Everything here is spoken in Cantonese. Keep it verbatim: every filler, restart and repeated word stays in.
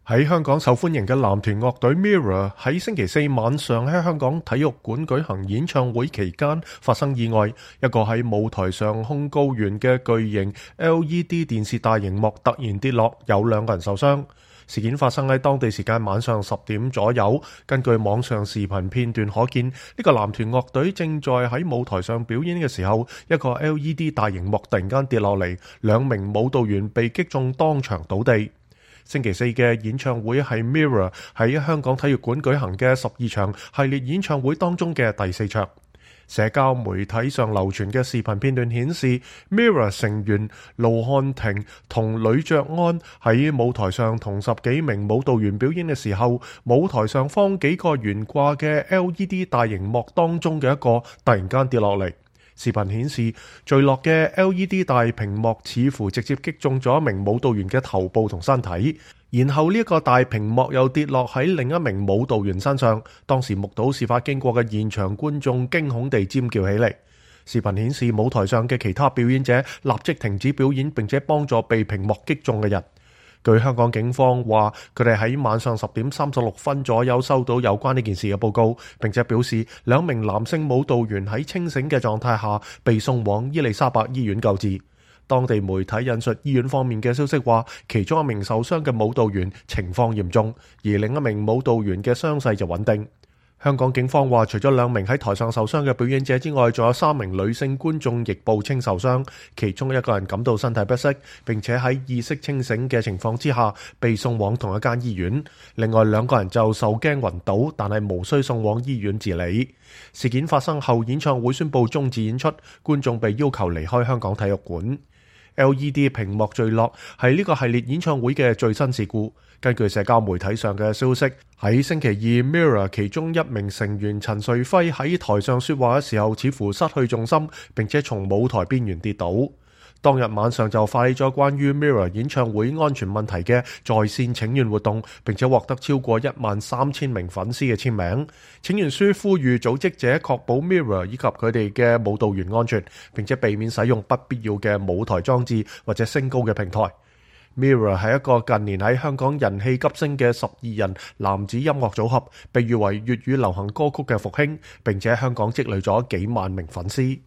喺香港受歡迎嘅男團樂隊 Mirror 喺星期四晚上喺香港體育館舉行演唱會期間發生意外，一個喺舞台上控高懸嘅巨型 L E D 電視大熒幕突然跌落，有兩個人受傷。事件發生喺當地時間晚上十點左右，根據網上視頻片段可見，呢、這個男團樂隊正在喺舞台上表演嘅時候，一個 L E D 大熒幕突然間跌落嚟，兩名舞蹈員被擊中當場倒地。星期四嘅演唱會係 Mirror 喺香港體育館舉行嘅十二場系列演唱會當中嘅第四場。社交媒體上流傳嘅視頻片段顯示 Mirror 成員盧漢廷同呂爵安喺舞台上同十幾名舞蹈員表演嘅時候，舞台上方幾個懸掛嘅 L E D 大熒幕當中嘅一個突然間跌落嚟。視頻顯示墜落嘅 L E D 大屏幕似乎直接擊中咗一名舞蹈員嘅頭部同身體，然後呢一個大屏幕又跌落喺另一名舞蹈員身上。當時目睹事發經過嘅現場觀眾驚恐地尖叫起嚟。視頻顯示舞台上嘅其他表演者立即停止表演，並且幫助被屏幕擊中嘅人。據香港警方話，佢哋喺晚上十點三十六分左右收到有關呢件事嘅報告，並且表示兩名男性舞蹈員喺清醒嘅狀態下被送往伊利沙伯醫院救治。當地媒體引述醫院方面嘅消息話，其中一名受傷嘅舞蹈員情況嚴重，而另一名舞蹈員嘅傷勢就穩定。香港警方話，除咗兩名喺台上受傷嘅表演者之外，仲有三名女性觀眾亦報稱受傷，其中一個人感到身體不適，並且喺意識清醒嘅情況之下被送往同一間醫院。另外兩個人就受驚暈倒，但係無需送往醫院治理。事件發生後，演唱會宣布終止演出，觀眾被要求離開香港體育館。L E D 屏幕墜落係呢個系列演唱會嘅最新事故。根據社交媒體上嘅消息，喺星期二 Mirror 其中一名成員陳瑞輝喺台上說話嘅時候似乎失去重心，並且從舞台邊緣跌倒。當日晚上就發起咗關於 Mirror 演唱會安全問題嘅在線請願活動，並且獲得超過一萬三千名粉絲嘅簽名。請願書呼籲組織者確保 Mirror 以及佢哋嘅舞蹈員安全，並且避免使用不必要嘅舞台裝置或者升高嘅平台。Mirror 係一個近年喺香港人氣急升嘅十二人男子音樂組合，被譽為粵語流行歌曲嘅復興，並且喺香港積累咗幾萬名粉絲。